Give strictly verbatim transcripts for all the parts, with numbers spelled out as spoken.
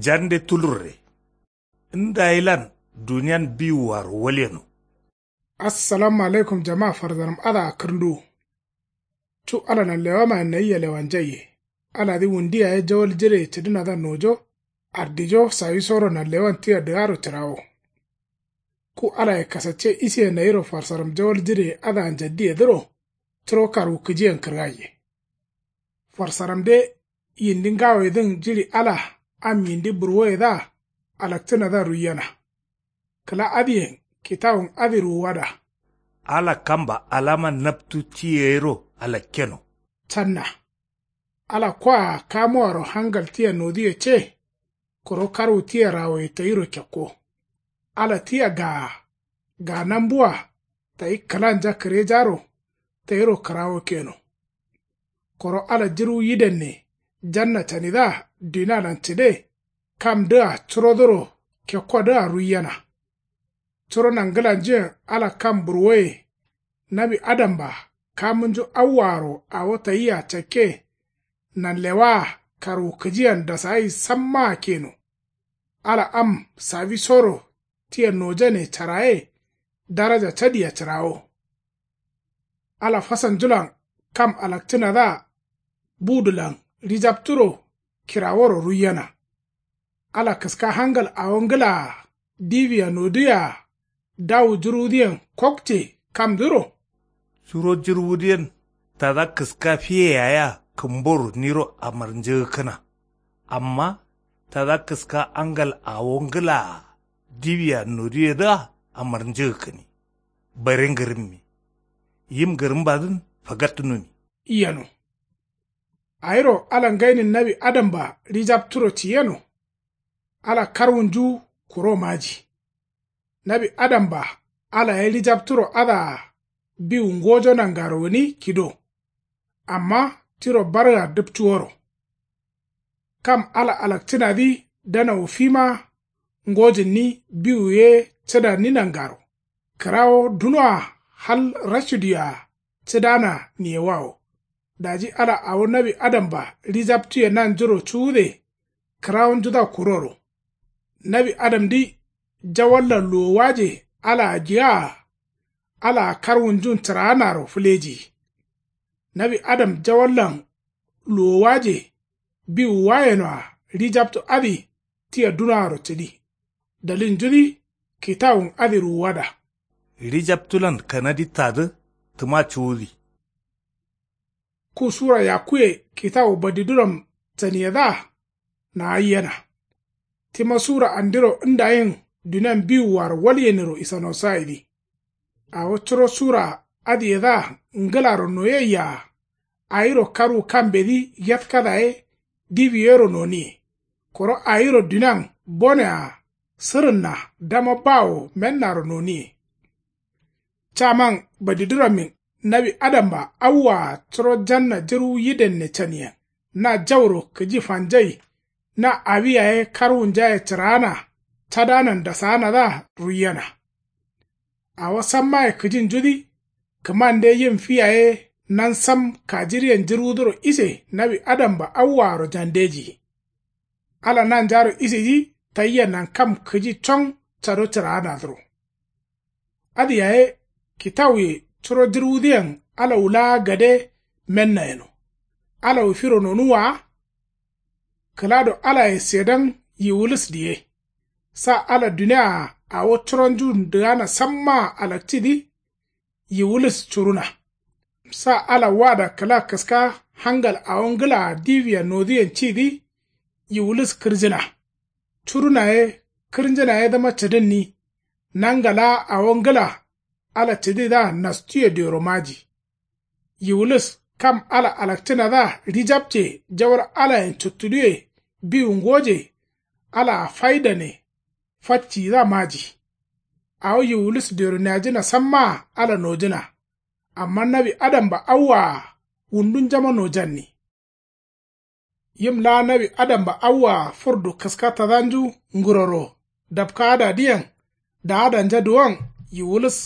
Jande tulurre. Ndayilan duniyan biwuwaro walyeno. Assalamu alaikum jama farzaram adǝa kǝrnduwu. Cu ala nanlewamayen nayia lewanjaiye. Aladǝ wundi yaye jawal jireye cǝdǝnadǝa nojo. Ardijo sawisoro nanlewan tia dǝgaro cǝrawo. Ku alaye kasacce isiye nayiro farsaram jawal jireye adǝa njaddiyedǝro. Curo karwukǝjiyen kǝrgaiye. Farsaramde yindi ngawoyedǝn jiɍi ala am yindi burwoyedǝa alakcǝnadǝa ruiyena. Kǝla adǝyen kitawun adǝ ruwuwada. Ala kamba alama naptu ti yero alakkeno. Canna. Ala koa kamuwaro hangal tia noduye ce. Koro karwu tia rawoye tayiro kekko. Ala tia gaa gaa nambua tayi kǝlanja kǝrejaro tayiro kǝrawo keno. Koro ala jǝrwu yidenne janna canidǝa dunalan cǝde kamdǝa curodǝro kekkodǝa ruiyena. Curo nangǝlanjuyen ala kam burwoye. Nawi adamba kamunju awwaaro awo tayia cakke. Nanlewaa karwukǝjiyen dasagai sammaa keno. Ala am sawisoro tia nojane caraye daraja cadia cǝrawo. Ala fasanjulan kam alakcǝnadǝa budulan ɍijapturo kiraworo ruiyena. Ala kǝska hangal awo ngǝlaa diwia noduwea dawu jǝrwudǝyen kokce kamdǝro. Curo jǝrwudǝyen tada kǝska fiye yayea kǝmboro niro amarnjǝgǝkkǝna. Amma tada kǝska angal awo ngǝlaa diwia noduwedǝa amarnjǝgǝkkǝni. Bare ngǝrǝmmi. Yim ngǝrǝmbadǝn fagattunumi. Yeno. Awiro ala ngainin nawi adamba ɍijapturo ciyeno. Ala karwunju kuro maji. Nawi adamba ala ye ɍijapturo adǝa biwu ngojo nangaro gǝni kido. Amma tiro barga dǝpcuworo. Kam ala alakcǝnadǝ danawu fima ngojǝnni biwu ye cǝdanni nangaro. Kǝrawo dunoa hal raciduye-a cǝdana niyewawo. Daji ala awo nawi adamba ɍijaptuye nanjuro cuwude kǝrawunjudǝa kuroro. Nawi adamdǝ jawallan luwowaje alaa giyaa. Alaa karwunjun cǝraanaro fǝlejiyi. Nawi adam jawallan luwowaje biwuwayenoa ɍijaptu adǝ tia dunoaro cǝdi. Dalilnjudǝ kitawun adǝ ruwuwada. Ɍijaptulan kanadi tadǝ tǝma cuwudi. Ku sura yakkuye kitawu badiduram caniyedǝa naayyena. Tima sura andiro ndayin dunian biwuwaro walyeniro isanosaidǝ. Awo curo sura adǝyedǝa ngǝlaro noyeyya-a. Awiro karwu kambedǝ yetkada ye diwi yero noniye. Koro awiro dunian bone-a sǝrǝnna dama bawo mennaro noniye. Caman badidurammin nawi adamba awwa-a curo janna jǝrwu yidenne caniyen na jauro kǝji fanjai. Na awi yaye karwunjaye cǝraana cadanan dasaanadǝa ruiyena. Awo sammaye kǝjinjudǝ kǝmande yim fi yaye nansam kajiriyen jǝrwudǝro ise nawi adamba awwaaro jandejiyi. Ala nanjaro isedǝ tayia nankam kǝji con cado cǝraanadǝro. Adǝ yaye kitawuye curo jǝrwudǝyen ala wulaa gade menna yeno. Ala wufiro nonuwwa wa. Kǝlado alaye sedan yiwulǝs diye. Sa ala dunia-a awo curonjun dǝgana sammaa alakcidǝ yiwulǝs curuna. Sa ala wada kǝla kǝska hangal awo ngǝlaa diwia noduyen cidǝ yiwulǝs kǝrjǝna. Curuna ye kǝrnjǝna yedǝma cǝdǝnni. Nanga laa awo ngǝla ala cǝdidǝa nastuye dioro maji. Yiwulǝs kam ala alakcǝnadǝa ɍijapce jawal alayen cuttuduwe biwu ngoje. Alaa faidane fatciyidǝa maji. Awo yiwulǝs dioro niajǝna sammaa ala nojǝna. Amma nawi adamba awwaa wundunjama nojanni. Yim laa nawi adamba awwaa fǝrdu kǝska tadanju nguroro dapkaadadǝyen daadanja duwon yiwulǝs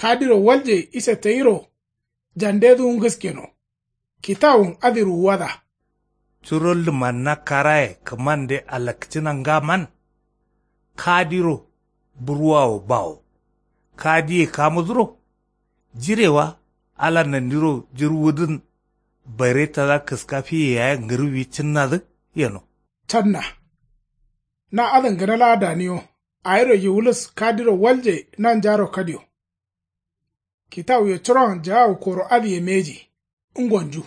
kadiro walje ise tayiro. Jandeduwu ngǝskeno kitawun adǝ ruwuwada. Curo lumanna karaye kǝmande alakcǝna ngaman. Kadiro burwawo bawo. Kadiye kamuduro. Jirewa ala nandiro jǝrwudǝn bare tada kǝska fiye yaye ngǝrǝwi cǝnnadǝ yeno. Canna. Na adǝn gǝna laa daniyo. Awiro yiwulis kadiro walje nanjaro kadiyo. Kitawuye curon jaawu koro adǝye mbeji. Ngonju.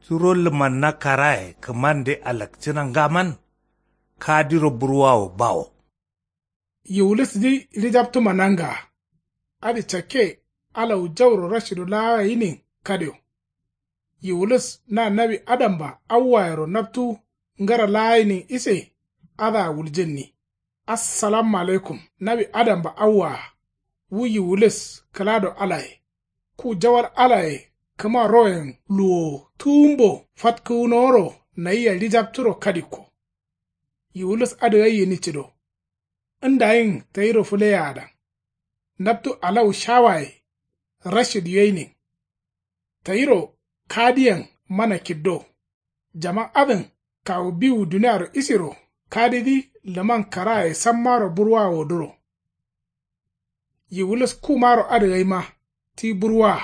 Curo lumanna karaye kǝmande alakcǝna ngaman. Kadiro burwawo bawo. Yiwulisdǝ lijaptuma nangaa. Adǝ cakke alawu jauro rashidu laa gǝnin kadiyo. Yiwulis na nawi adamba awwayero naptu ngǝra laa gǝnin ise. Adǝa wuljǝnni. Assalamu alaikum nawi adamba awwaa. Wu yiwulis kǝlado alaye. Ku jawal alaye kǝma royen luwowo tuwumbo fatkǝwunoworo nayia lijapturo kadikko. Yiwulis adǝ gai gǝni cǝdo. Ndayin tayiro fǝleyeadan. Naptu alawu shawaye. Rashid yoyinin. Tayiro kadiyen mana kiddo. Jaman adǝn kawu biwu duniaro isiro kadidǝ lǝman karaye sammaro burwawodǝro. Yiwulis kumaro adǝ gaima ti burwaa.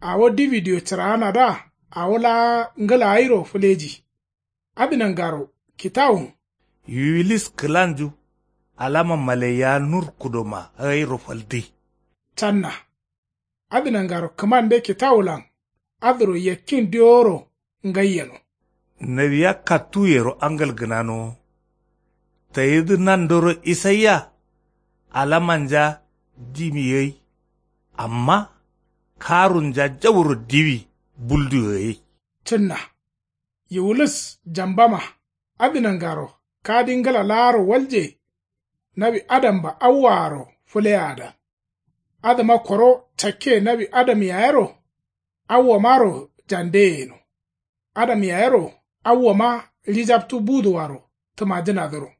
Awo dibidiyo cǝraanadǝa awo laa ngǝla gairo fǝleji. Adǝ nangaro kitawun. Yiwulis kǝlanju. Alama malaiya nur kudoma gairo faldǝ. Canna. Adǝ nangaro kǝmande kitawulan adǝro yakkin diworo ngai yeno. Nawiya kattuyero angal gǝnanowo. Tayidǝ nandoro isaiya. Alamanja dimi gai. Amma karunja jauro diwi bulduyo gai. Cǝnna. Yiwulis jambama. Adǝ nangaro kadi ngǝla laaro walje. Nawi adamba awwaaro fǝleyeadan. Adǝma koro cakke nawi adam yayero. Awwamaro jandeye yeno. Adam yayero awwama lijaptu buduwaro tǝmajǝnadǝro.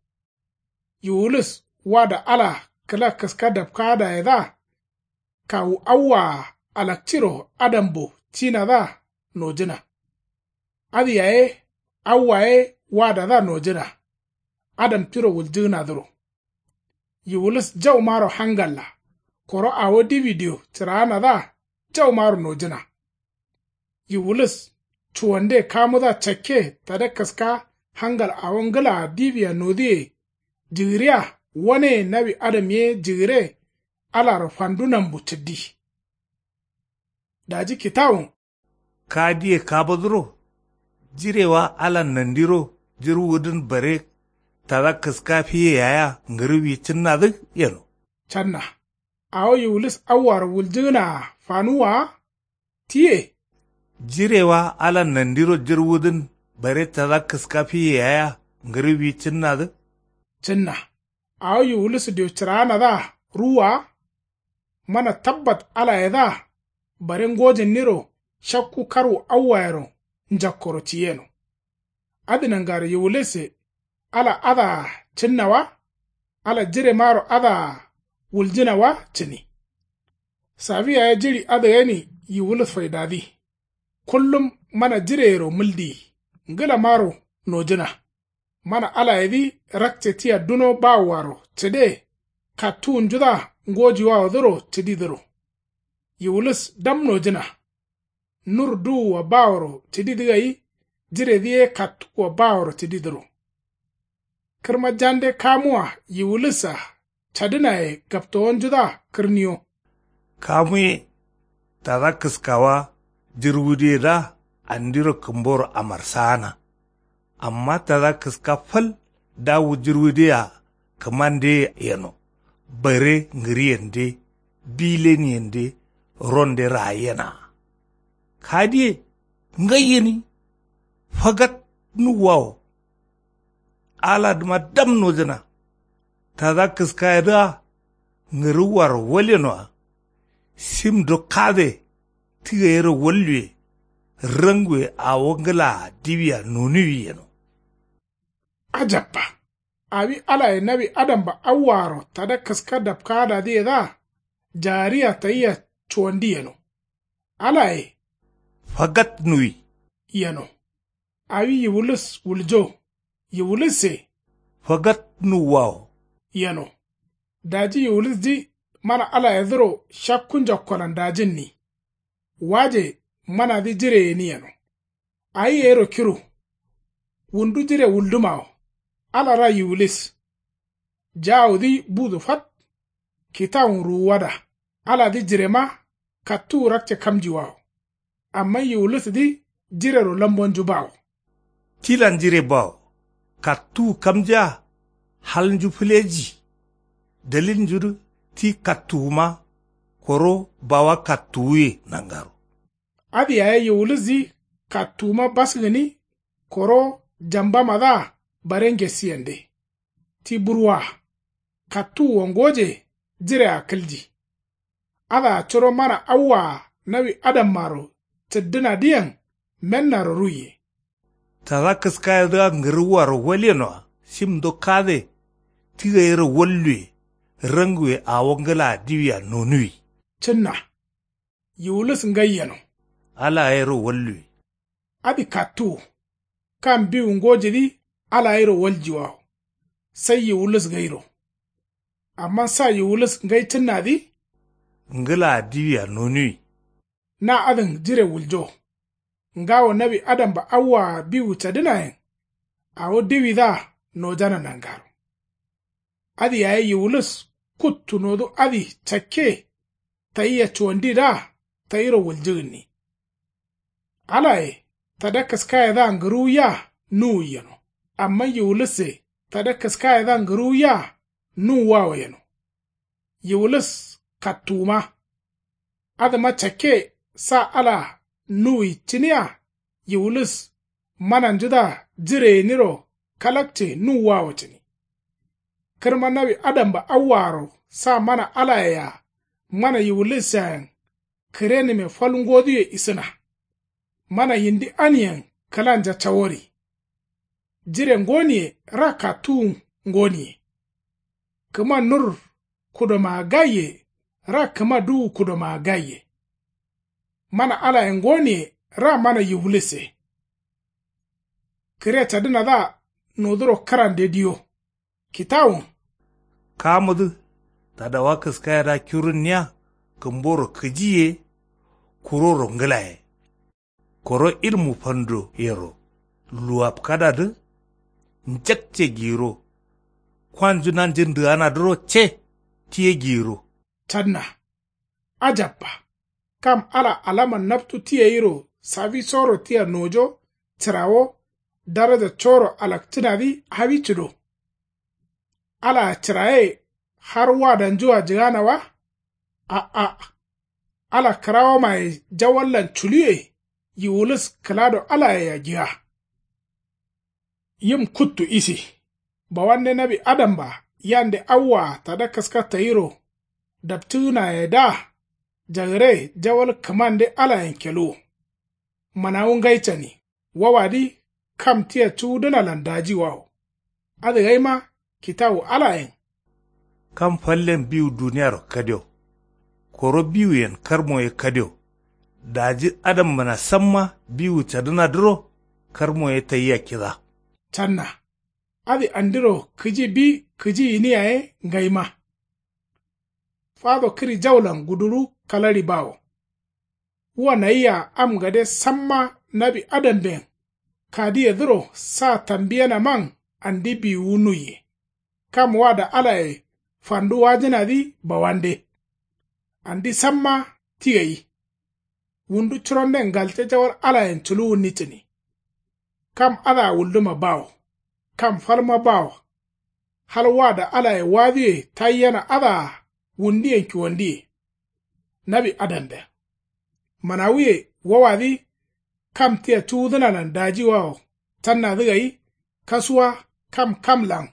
Yiwulis wada ala kǝla kǝska dapkaadayedǝa. Kawu awwaa alakciro adambo cinadǝa nojǝna. Adǝ yaye awwa ye wadadǝa nojǝna. Adam tiro wuljǝgǝnadǝro. Yiwulis jaumaro hangalla. Koro awo dibidiyo cǝraanadǝa jaumaro nojǝna. Yiwulis cuwande kamudǝa cakke tada kǝska hangal awo ngǝlaa dibia nodǝye. Jǝgǝriya waneye nawi adam ye jǝgǝre. Alaro fandu nambu cǝddi. Daji kitawun. Kadiye kaboduro. Jirewa ala nandiro jǝrwudǝn bare tada kǝska fiye yayea ngǝrǝwi cǝnnadǝ yeno. Canna. Awo yiwulis awwaro wuljǝgǝnaa fanuwwaa. Tiye. Jirewa ala nandiro jǝrwudǝn bare tada kǝska fiye yayea ngǝrǝwi cǝnnadǝ. Cǝnna. Awo yiwulis diyo cǝraanadǝa ruwwaa. Mana tabbat alayedǝa bare ngojǝnniro shakku karwu awwayero njakkoro ciyeno. Adǝ nangaro yiwulisse ala adǝa cǝnna wa. Ala jiremaro adǝa wuljǝna wa cǝni. Safiya ye jiɍi adǝ gani yiwulis faidadǝ. Kullum mana jireyero mǝldiyi. Ngǝlamaro nojǝna. Mana alayedǝ rakce tia duno bawowaro cǝde. Kattuwunjudǝa ngojiwawodǝro cǝdidǝro. Yiwulis dam nojǝna. Nur duwua baworo cǝdidǝ gai. Jiredǝ ye kattuwua baworo cǝdidǝro. Kǝrma jande kamuwa yiwulissa cadǝnaye gaptowonjudǝa kǝrniyo. Kamuye. Tada kǝskawa jǝrwudǝyedǝa andiro kǝmboro amarsaana. Amma tada kǝska fal dawu jǝrwudǝyea kǝmandeye yeno. Bare ngǝriyende bileniyende ronde raayenaa. Kadiye ngai gǝni. Fagat nuwwawo. Aladǝma dam nojǝna. Tada kǝskayedǝa ngǝrǝwwaro walyenoa. Simdo kade ti gayero walluwe. Ranguwe awo ngǝlaa diwia nonuwi yeno. Ajabba. Awi alaye nawi adamba awwaaro tada kǝska dapkaadadǝyedǝa. Jaariya tayia cuwandi yeno. Alaye. Fagat nuwi. Yeno. Awi yiwulis wuljo. Yiwulisse. Fagat nuwwawo. Yeno. Daji yiwulisdi mana alayedǝro shakku njokkolan dajǝnni. Waje manadǝ jire gǝni yeno. Awi gairo kiru. Wundu jire wuldǝmawo. Ala ra yiwulis. Jawudǝ budu fat. Kitawun ruwuwada. Aladǝ jirema. Kattuwu rakce kamjiwawo. Amma yiwulisdǝ jirero lambonju bawo. Tilan jire bawo. Kattuwu kamjia. Halnju fǝleji. Dalilnjudǝ ti kattuwuma. Koro bawa kattuwuye nangaro. Adǝ yaye yiwulisdǝ kattuwuma bas gǝni. Koro jambamadǝa bare ngesi yende. Ti burwa. Kattuwuwo ngoje. Jirea kǝlji. Adǝa curo mana awwaa nawi adammaro cǝddǝnadǝyen mennaro ruiye. Tada kǝskayedǝa ngǝrǝwwaro walyenoa shimdo kade. Ti gairo walluwe. Ranguwe awo ngǝlaa diwia nonuwi. Cǝnna. Yiwulis ngai yeno. Ala gairo walluwe. Adǝ kattuwu. Kam biwu ngojidǝ ala gairo waljiwawo. Sai yiwulis gairo. Amma sa yiwulis ngai cǝnnadǝ. Ngǝlaa diwia nonuwi. Na adǝn jire wuljo. Ngawo nawi adamba awwaa biwu cadǝnayen. Awo diwidǝa nojana nangaro. Adǝ yaye yiwulis kuttu nodu adǝ cakke. Tayia cuwandidǝa tayiro wuljǝgǝnni. Alaye tada kǝskayedǝa ngǝruwuya nuwui yeno. Amma yiwulisse tada kǝskayedǝa ngǝruwuya nuwwawo yeno. Yiwulis kattuwuma. Adǝma cakke sa ala nuwui cǝniya. Yiwulis mananjudǝa jire gǝniro kalakce nuwwawo cǝni. Kǝrma nawi adamba awwaaro sa mana alayea mana yiwulisseayen. Kǝrenǝme fal ngoduye isǝna. Mana yindi aniyen kǝlanja cawori. Jire ngoniye ra kattuwu ngoniye. Kǝma nur kudomaa gaiye. Ra kǝma duwu kudomaa gaiye. Mana alaye ngoniye ra mana yiwulisse. Kǝre cadǝnadǝa noduro kǝrande diyo. Kitawun. Kamudǝ tadawa kǝskayedǝa kirunniya. Kǝmboro kǝji ye. Kuroro ngǝla ye. Koro ilmu fando yero luwapkadadǝ. Njakce giyiro. Kwanju nanjǝ ndǝganadǝro ce. Tiye giyiro. Canna. Ajabba. Kam ala alaman naptu ti gairo sawisoro tia nojo. Cǝrawo daraja coro alakcǝnadǝ hawi cǝdo. Alaa cǝraye har wadanjua jǝgana wa. A'a. Ala kǝrawomaye jawallan culuye. Yiwulis kǝlado alayea jǝga. Yim kuttu isi. Bawande nawi adamba yande awwaa tada kǝska tayiro daptǝgǝnayedǝa. Jagǝre jawal kǝmande alayen keluwo. Manawu ngai cani. Wawadi kam tia cuwudǝnalan dajiwawo. Adǝ gaima kitawu alayen. Kam fallen biwu duniyaro kadio. Koro biwuyen karmo ye kadio. Daji adambǝna samma biwu cadǝnadǝro karmo ye tayia kida. Canna. Adǝ andiro kǝji bi kǝji gǝni yaye ngaima. Fado kǝri jaulan guduru kalari bawo. Wa nayia am gade samma nawi adamben kadiyedǝro sa tambiyanaman andi biwuwu nuiye. Kam wada alaye fandu wajǝnadǝ bawande. Andi samma ti gai. Wundu curonden ngalte jawal alayen culuwunni cǝni. Kam adǝa wulduma bawo. Kam falma bawo. Hal wada alaye waduye taiyena adǝa wundiyen kiwandiye. Nawi adamben. Manawuye wawadǝ kam tia cuwudǝnalan dajiwawo cannadǝ gai. Kasuwa kam kamlan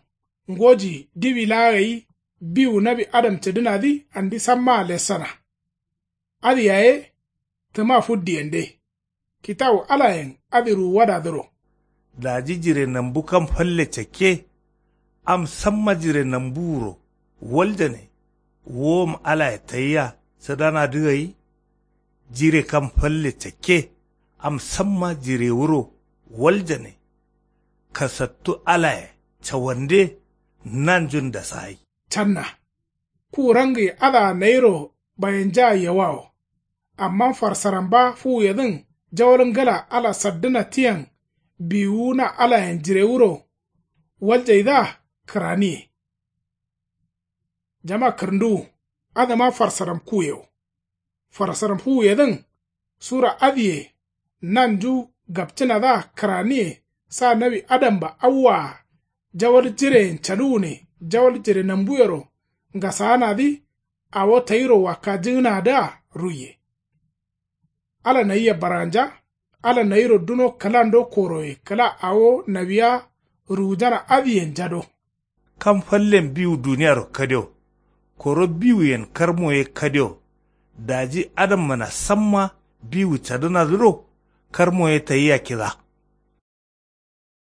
ngoji diwi laa gai. Biwu nawi adam cǝdǝnadǝ andi sammaa lessana. Adǝ yaye tǝma fuddiyende. Kitawu alayen adǝ ruwuwadadǝro. Daji jire nambu kam falle cakke. Am samma jire nambuwuro waljane. Wowom alaye tayia cǝdanadǝ gai. Jire kam falle cakke. Am samma jirewuro Waljane. Kasattu alaye cawande. Nanjun dasagai. Canna. Ku rangi adǝa nayiro bayanja yewawo. Amma farsaram ba fuwuyedǝn jawal ngla ala saddǝna tiyen. Biwuna alayen jirewuro. Waljaidǝa kǝraniye. Jama kǝrǝnduwu. Adǝma farsaram kuyewo. Farsaram fuwuyedǝn. Sura adǝye. Nanju gapcǝnadǝa kǝraniye. Sa nawi adamba awwaa. Jawal jireyen caluwune jawal jire nambuyero. Ngasaanadǝ. Awo tayiro wakkajǝgǝnadǝa ruiye. Ala nayia baranja. Ala nayiro duno kǝlando koroye kǝla awo nawiya. Ruwujana adǝyen jado. Kam fallen biwu duniyaro kadio. Koro biwuyen karmo ye kadio. Daji adammana samma biwu cadǝnadǝro. Karmo ye tayia kida.